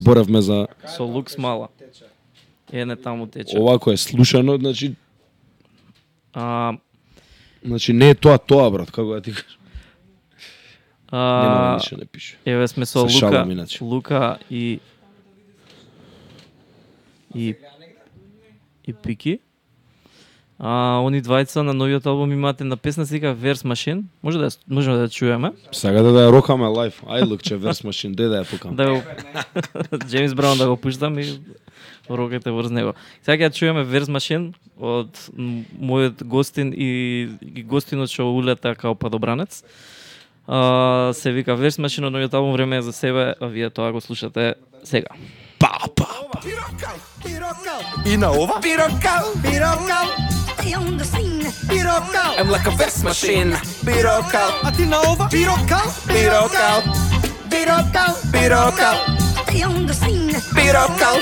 Боревме за Со лукс мала. Не таму тече. овако е слушано, значи А, не е тоа брат, како да ти кажам. Нема ништо не пише. Еве сме со Се Лука, шалам иначе. Лука и Пики. Они двајца на новиот албум имаат една песна се вика Verse Machine. Можеме да ја чуеме. Сакате да ја рокаме лайф. Ај лукче Verse Machine, дај да ја пукам. Да го Джеймс Браун да го пуштам и рокате врз него. Сега ќе чуеме Verse Machine од мојот гостин и гостинот што улета као падобранец. Се вика Verse Machine од новиот албум Време е за себе, а вие тоа го слушате сега. И на ова Пирокал I'm like a verse machine Пирокал А ти на ова Пирокал Пирокал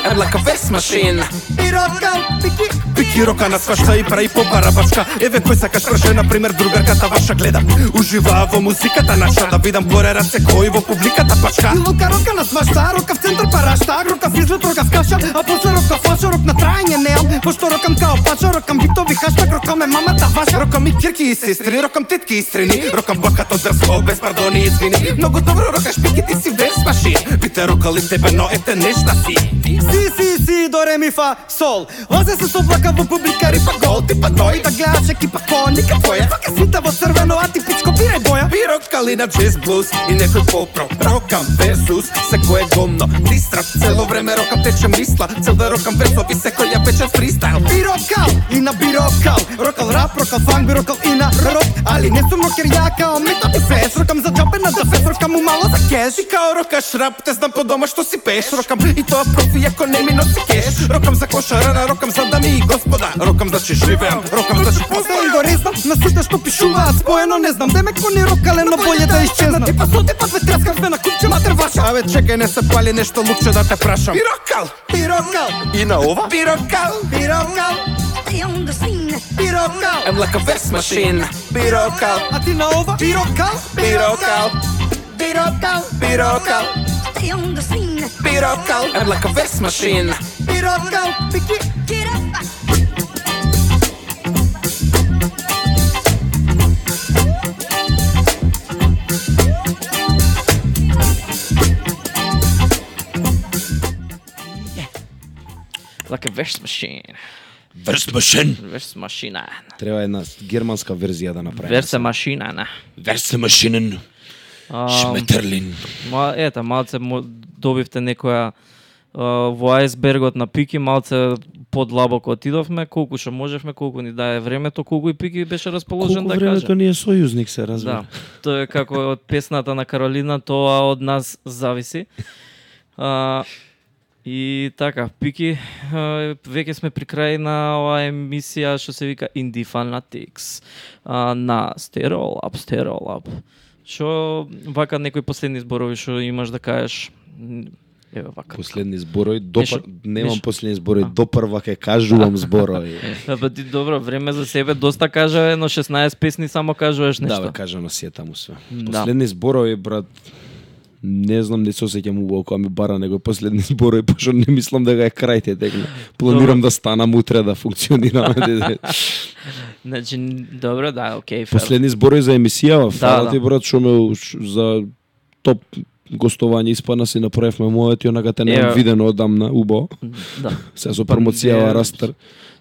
I'm like a verse machine Пирокал Пики рока на свашта и прави по барабачка Еве кој сакаш праше, например другарката ваша гледам Ужива во музиката наша да видам горе раце кој во публиката пачка И лука рока на свашта, рока в центар парашта Рока в излет, рока в каша, а после рока фаша Рок на трајање неам, пошто рокам као пача Рокам битови хаштаг, рокам е мамата ваша Рокам и кирки и сестри, рокам тетки и страни Рокам бакато дрско, без пардони и извини Многу добро рокаш пики, ти си верс машин Бите рокали тебе, но ете нешта си Си, до ре ми фа, сол Озе се соблака во публика, рипа гол Типа тој, да гледаш екипа коника твоја Вака свита во црвено, а ти пичко пирај боја Пирокали на джез блуз и некој попро Рокам версус, секој е гомно Дистрап, цело време рокам течем мисла Цел да рокам версови, секој ја печем фристайл Пирокал и на бирокал Рокал рап, рокал фанк, бирокал и на рок Али не сум рокер ја као методи фес Рокам за джабе на дафес, рокам умало за кеш И као рокаш рап, те знам по дома што си пеш Рокам и тоа профи, ако не ми носи кеш Рокам за кошарана, рокам за дами и господа Рокам значи живеам, рокам значи постојам го резнам, на сите што пишуваат споено не знам Демек кони рокале, но боље да исчезнат Типа со типа две трескам све на купче матер ваша Абе чекај, не се пали нешто лукче да те прашам Пирокал И на ова Пирокал I'm like a verse machine Пирокал А ти на ова Пирокал I'm like a verse machine Пирокал Like a verse machine. Verse Machine. Verse machine. Треба една германска верзија да направиме. Verse machine, на. Verse Machine. Шметерлин. Малце добивте некоја во ајсбергот на Пики, малце подлабоко отидовме, колку што можевме, колку ни дае времето, колку и Пики беше расположен да каже. Колку времето ни е сојузник, се разбира. Да, тоа е како од песната на Каролина, тоа од нас зависи. И така, Пики, веќе сме при крај на оваа емисија што се вика Indie Fanatics на Стереолаб. Што вака некои последни зборови што имаш да кажеш? Еве вака. Последни зборови, немам последни зборови, допрва ќе кажувам зборови. Па ти добро, време за себе доста кажа, но 16 песни само кажуваш нешто. Да, бе, кажано си е таму све. Последни зборови, брат, не знам, не се осеќам убаво кога ми бара него последни зборови, пошто не мислам да га е крајте текна. Планирам да станам утре да функционираме. Значи, добро, да, окей. Последни зборови за емисијава, фала ти брат, што ме за топ гостување испадна си направивме мојот и онака те не видено одамна убаво. Да. Сега со промоцијава растер.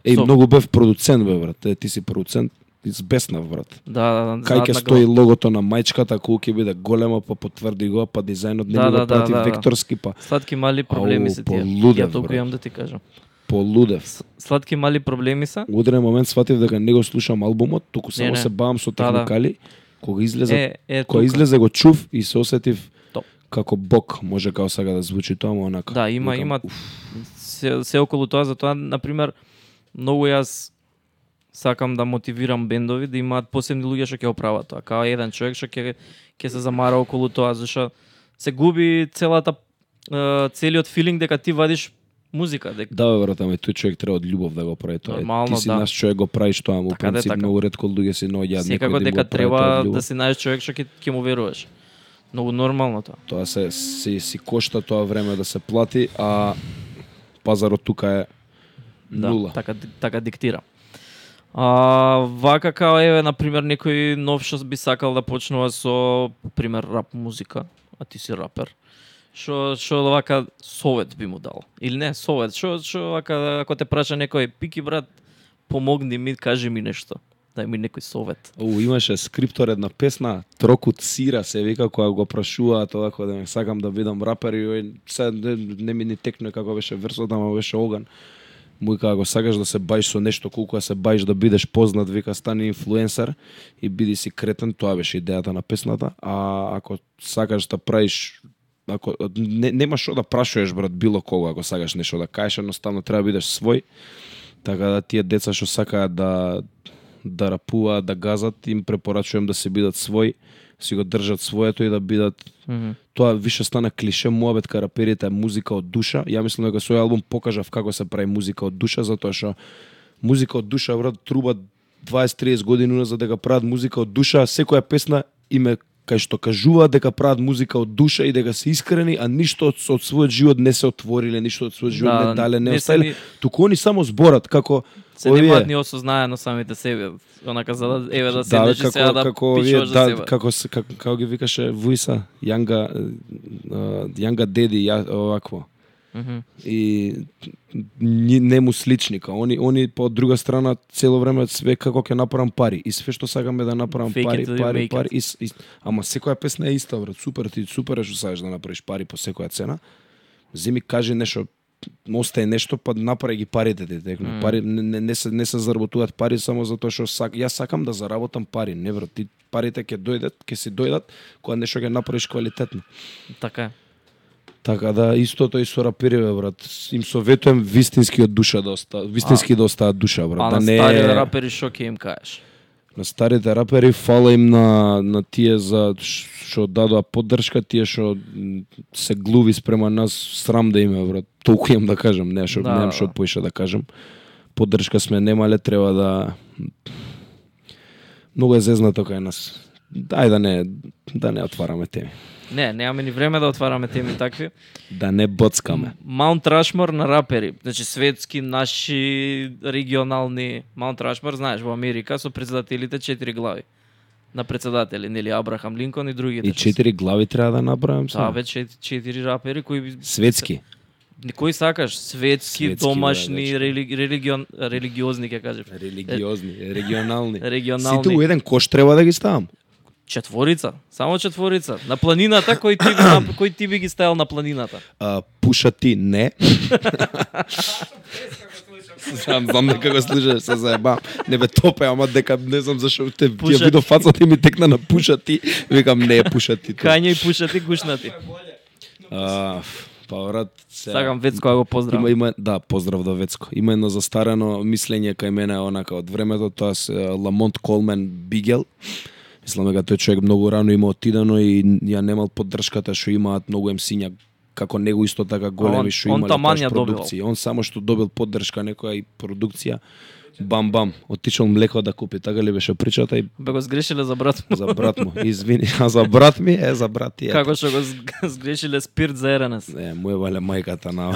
Многу бев продуцент, бе брат. Ти си продуцент. Избеснав, брат. Да. Кај ќе стои логото на мајчката, колку ќе биде голема, па потврди го, па дизајнот не го прати векторски, па. Сладки мали проблеми се тие. Ја толку имам да ти кажам. Полудев. Сладки мали проблеми се. Во одреден момент сватив дека не го слушам албумот, туку само се бавам со техникали. Кога излезе го чув и се осетив како Бог, може као сега да звучи тоа, но онака. Да, има се околу тоа, затоа на пример многу јас сакам да мотивирам бендови да имаат посебни луѓе што ќе оправат тоа. Као еден човек што ќе се замара околу тоа, зашто се губи целиот филинг дека ти вадиш музика. Да, бе, брат, ама тој човек треба од љубов да го прави тоа. Нормално, ти си наш човек го правиш тоа, му принцип многу ретко луѓе се наоѓаат некој секако дека треба да си најдеш човек што ќе му веруваш. Многу нормално тоа. Тоа си кошта тоа време да се плати, а пазарот тука е нула. Да, така диктира. Вака као еве на пример некој нов што би сакал да почнува со пример рап музика, а ти си рапер. Што вака совет би му дал? Или не, совет, што вака ако те праша некој пики брат, помогни ми, кажи ми нешто. Дај ми некој совет. Имаше скриптор една песна, Трокут Сира се вика, која го прашуваат овако да сакам да бидам рапер и се не ми ни текне како беше версот, ама беше оган. Му вика, ако сакаш да се баиш со нешто, колку да се баиш да бидеш познат, вика, стани инфлуенсер и биди си кретен, тоа беше идејата на песната. А ако сакаш да правиш, ако нема што да прашуваш брат било кого, ако сакаш нешто да кажеш, едноставно треба да бидеш свој. Така да тие деца што сакаат да рапуваат, да газат, им препорачувам да се бидат свој, си го држат своето и да бидат. Тоа више стана клише муабет кај раперите е музика од душа. Ја мислам дека со овој албум покажав како се прави музика од душа, затоа што музика од душа брат труба 20-30 години за дека прават музика од душа, секоја песна име кај што кажуваат дека прават музика од душа и дека се искрени, а ништо од својот живот не се отвориле, ништо од својот живот не дале, не оставиле. Туку они само зборат како се немаат ни осознаено самите себе, онака за да еве да седнеш и сега да пишуваш за себе. Како ги викаше Вуиса, Јанга Деди, овакво. И не му сличника. Они по друга страна цело време све како ќе направам пари и све што сакаме да направам пари. Ама секоја песна е иста брат. Супер што сакаш да направиш пари по секоја цена. Земи кажи нешто, остае нешто, па направи ги парите ти текно. Пари не се заработуваат пари само затоа што јас сакам да заработам пари. Не брат, ти парите ќе си дојдат кога нешто ќе направиш квалитетно. Така е. Така да истото и со рапериве брат. Им советувам вистински од душа да остаат душа брат. А на старите рапери што ќе им кажеш? На старите рапери фала им на тие за што дадоа поддршка, тие што се глуви спрема нас, срам да име брат. Толку имам да кажам, немам што поише да кажам. Поддршка сме немале, треба да многу е зезнато кај нас. Дај да не отвараме теми. Не, немаме ни време да отвараме теми такви. Да не боцкаме. Маунт Рашмор на рапери, значи светски, наши, регионални. Маунт Рашмор, знаеш, во Америка со председателите 4 глави. На председатели, нели Абрахам Линкон и другите. И 4 глави треба да направам сега. Веќе 4 рапери кои светски. Кои сакаш? Светски, домашни, религиозни, ќе кажем. Религиозни, регионални. Регионални. Сите у еден кош треба да ги ставам. 4, само 4. На планината, кој ти би ги ставил на планината? Пуша ти, не. Знам дека го слушаш, се заебам. Не бе топе, ама дека не знам зашо ја видов фацата и ми текна на Пуша ти. Викам не е Пуша ти. Кања и Пуша ти, гушна ти. Па брат, сакам Вецко да го поздравам. Има да, поздрав до Вецко. Има едно застарено мислење кај мене онака од времето, тоа се Ламонт Колмен Бигел. Мислам дека тој човек многу рано има отидено и ја немал поддршката што имаат многу емсиња како него исто така големи што имале таа продукција. Он само што добил поддршка некоја и продукција, бам, отишол млеко да купи. Така ли беше причата и бе го сгрешиле за брат му. За брат му. Извини, а за брат ми е за брат ти. Како што го сгрешиле спирт за еренес. Не, му е вале мајката на.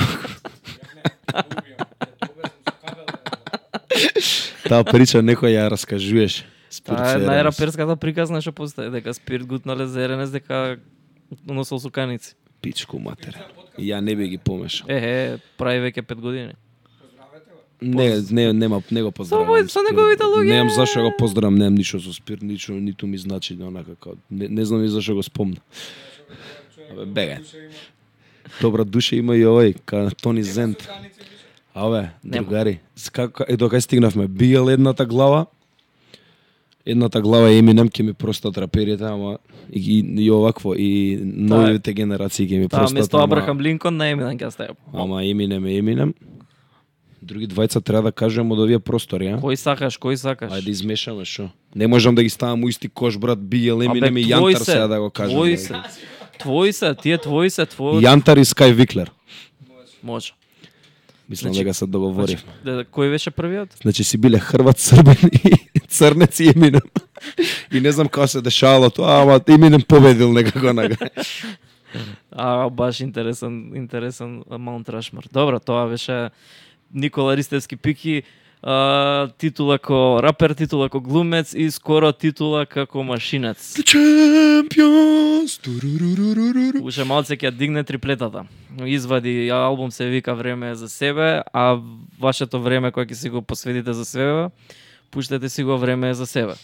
Таа прича некој ја раскажуваше. Најраперската приказна што постои, дека спирт гутнале за еренес, дека носел суканици. Пичку матер. Ја не би ги помешал. Прави веќе 5 години. Не го поздравам. Со неговите луѓе. Немам зашо го поздравам, немам ништо со спирт, ниту ми значи онака како не знам и зашо го спомна. Бега. Добра душа има и овој, ка Тони Зент. Другари, докај стигнавме, Бигел едната глава е Еминем, ќе ми простат раперите, ама и овакво, и новите генерации ќе ми простат. Место Абрахам Линкон на Еминем ќе ставам. Ама Еминем е Еминем. Други двајца треба да кажем од овие простори, а? Кој сакаш? Ајде измешаме шо. Не можам да ги ставам у исти кош, брат, Бигел, Еминем и Јантар сега да го кажам. Твои се. Јантар и Скај Виклер. Може. Мислам дека се договоривме. Кој беше првиот? Значи си биле Хрват, Србен и Црнец и Еминем. И не знам како се дешавало тоа, ама Eminem победил некако Баш интересен Маунт Рашмар. Добро, тоа беше Никола Ристевски Пики, титула како рапер, титула како глумец и скоро титула како машинец. The Champions. Уште малце ќе дигне триплетата. Извади албум се вика Време за себе, а вашето време кое ќе си го посветите за себе, пуштете си го Време за себе.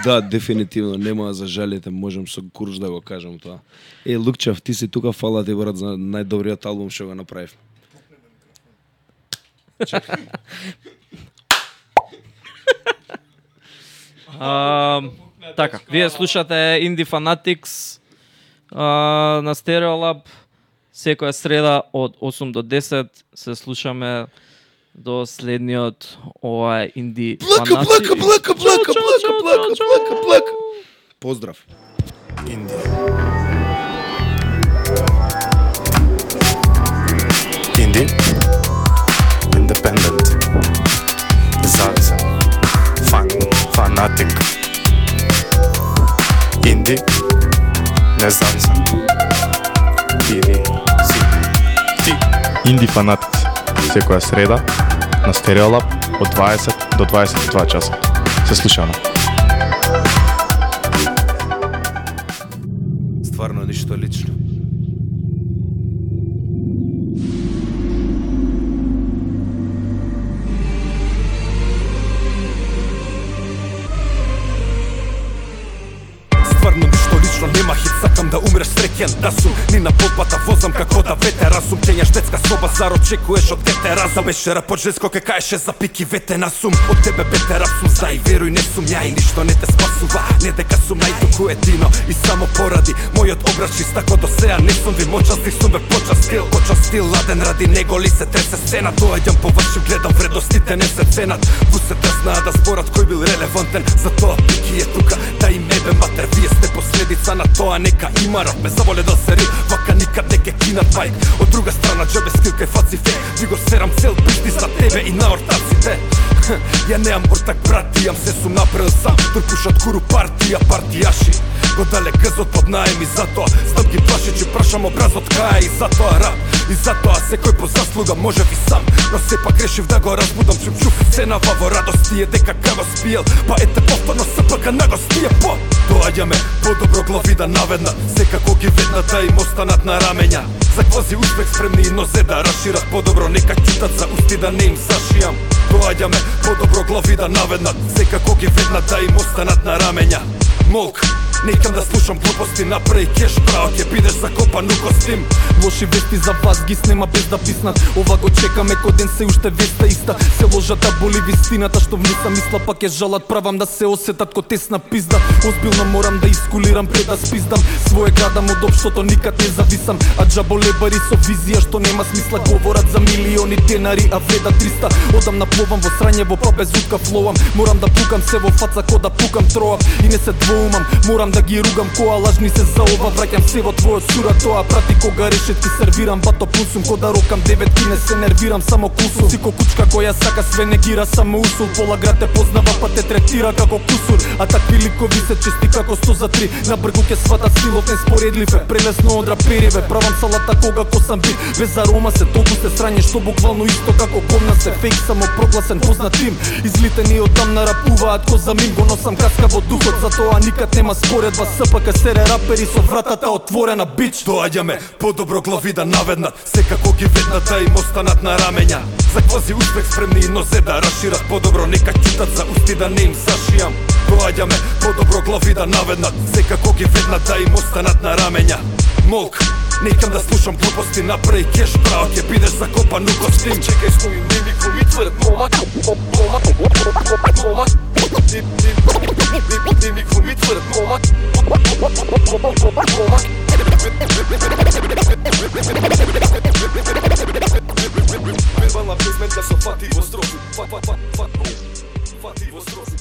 Да, дефинитивно, нема да зажалите, можам со курж да го кажам тоа. Лукчев, ти си тука, фала ти брат за најдобриот албум што го направив. Така, вие слушате Indie Fanatics на Stereolab секоја среда од 8 до 10 се слушаме до следниот ова Indie Fanatics. Блака. Поздрав. Indie. Independent. Независен. Фанатик. Indie. Независен. Или си. Ти. Indie Fanatics. Секоја среда на Stereolab од 20 до 22 часа. Се слушаме. Стварно ништо лично. Стварно ништо лично, нема хит, сакам да умреш среќен. Да сум ни на полпата возам како да ветера сум. Кењаш детска соба, зар очекуваш од дете разум. Беше рап од женско ке каеше за пики ветена сум. Од тебе бете рап сум, знај, веруј, не сум ја и ништо не те спасува. Не дека сум најтоку едино и само поради мојот образ чист, тако до сеа не сум ви мочасти, сум ве поча стил, ладен ради него ли се тресе сцена. Доаѓам по ваши, гледам вредностите не се ценат. Вусете знаат да зборат кој бил релевантен. Затоа пики е тука, да им ебе матер. Вие сте последица на тоа, нека има рап. Ме заволе да се рим, вака никад не ке кинат байк. Од друга страна джебе скил кај фаци фейк. Ви го серам цел бизнис на тебе и на ортаците. Ја неам ортак брат, имам се сум направил сам. Турпушат куру партијаши. Го дале гъзот под наем и затоа стъп ги плаши, че прашам образот кај и затоа рап. И затоа секој по заслуга може би сам. Но сепак решив да го разбудам, чуп ценава во радост тие дека го спиел. Па ете повторно СПК на го стие по. Доаѓаме по-добро глави да наведнат, секако ги веднат да им останат на рамења. За квази успех спремни и нозе да расшират по-добро, нека чутат за усти да не им зашијам. Доаѓаме по-добро глави да наведнат, секако ги веднат да им останат на рамења. Молк, некам да слушам глупости, направи кеш право, ќе бидеш закопан у костим. Лоши вести за вас ги снема без да писнат. Ова го чекаме кој ден се уште веста иста. Се ложата боли вистината што внуса мисла, пак ќе жалат, правам да се осетат ко тесна пизда. Озбилно морам да искулирам пред да спиздам. Своje градам од општото, никад не зависам. А джаболебари со визија што нема смисла, говорат за милиони денари, а вреда 300. Одам напловам во срање, во без утка флоам. Морам да пукам се во фаца ко да пукам троап. И не се двоумам, морам да ги ругам коа лажни се за ова. Враќам се во твојот сура, тоа прати кога решетки сервирам. Бато пусум ко да рокам деветки, не се нервирам, само кусум. Си ко кучка која сака све негира, само усул. Пола град те познава, па те третира како кусур. А такви ликови се чести како 100 за 3. На бргу ке сватат стилот неспоредливе, прелесно од рапериве. Правам салата кога косам бит, без арома се толку се срање, што буквално исто како гомна се. Фейк само прогласен познат тим, излитени од тамна рапуваат ко за мин. Го носам каска во духот, затоа никад нема споредба. СПК сере рапери со вратата отворена, бич. Доаѓаме по-добро глави да наведнат, секако ги веднат да им останат на рамења. За квази успех спремни и нозе да расшират по-добро, нека чутат за усти да не им зашијам. Доаѓаме по-добро глави да наведнат, секако ги веднат да им останат на рамења. Молк, некам да слушам глупости, направи кеш право, ќе бидеш закопан у костим. Чекај, стои мимик во ми тврд момак, момак. Мимик во ми тврд момак, момак. Вербална песменка со фати во строфи, фати во строфи.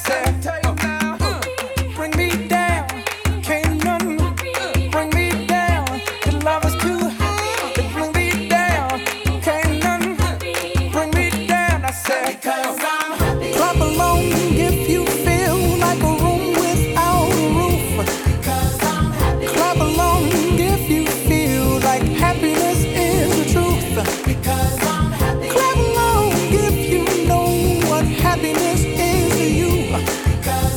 said, bring me down. Can't none bring me down. The love is too high to bring me down. Can't none bring me down. I said, because I'm happy. Clap along if you feel like a room without a roof. Because I'm happy. Clap along if you feel like happiness is the truth. Because I'm happy. Clap along if you know what happiness is to you. Because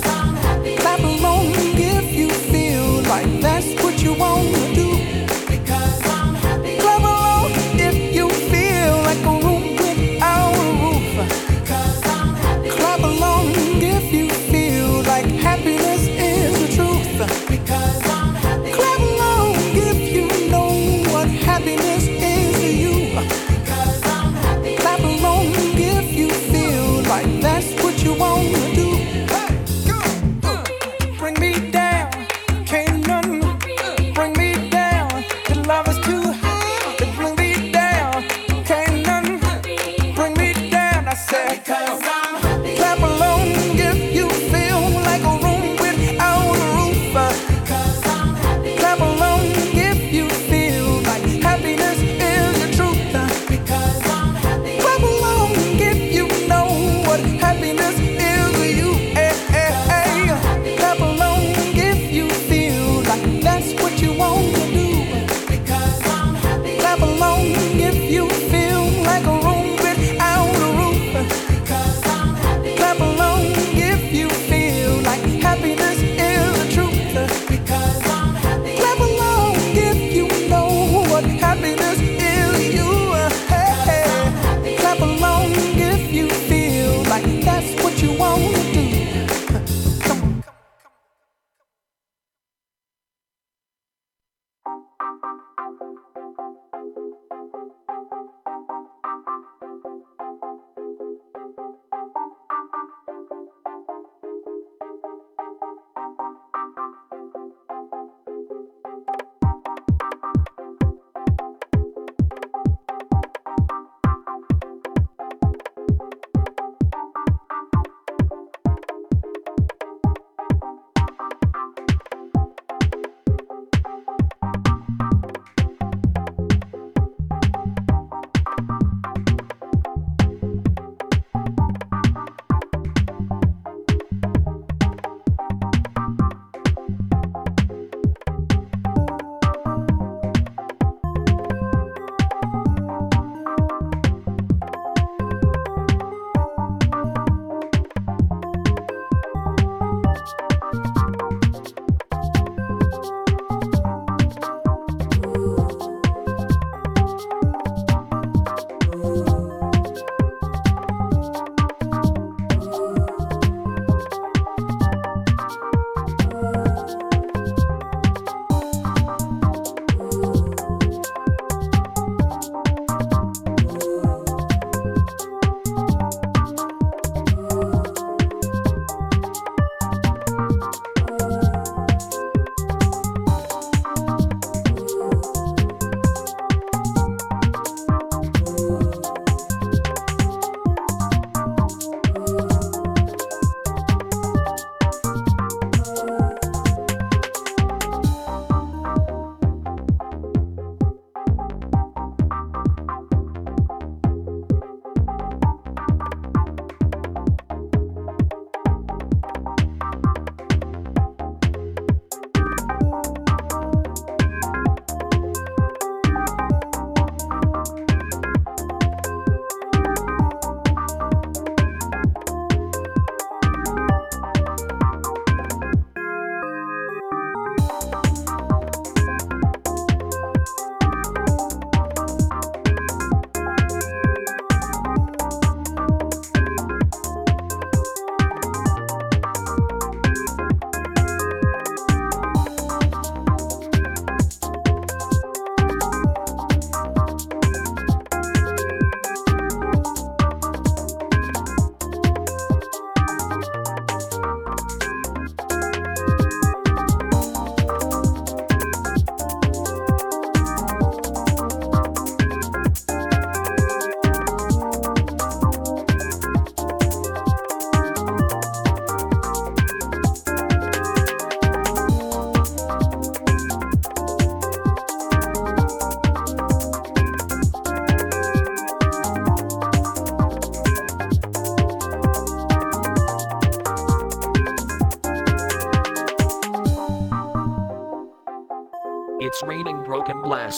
It's raining broken glass.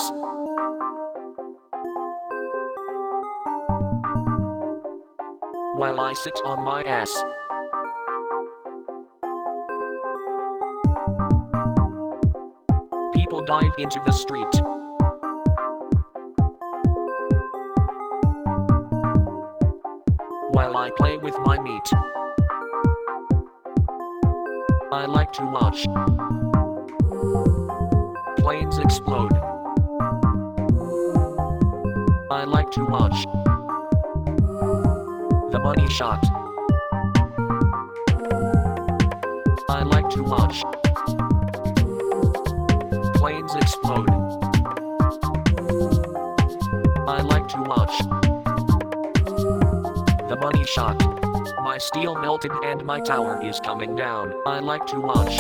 While I sit on my ass. People dive into the street. While I play with my meat. I like to watch planes explode. I like to watch the money shot. I like to watch planes explode. I like to watch the money shot. My steel melted and my tower is coming down. I like to watch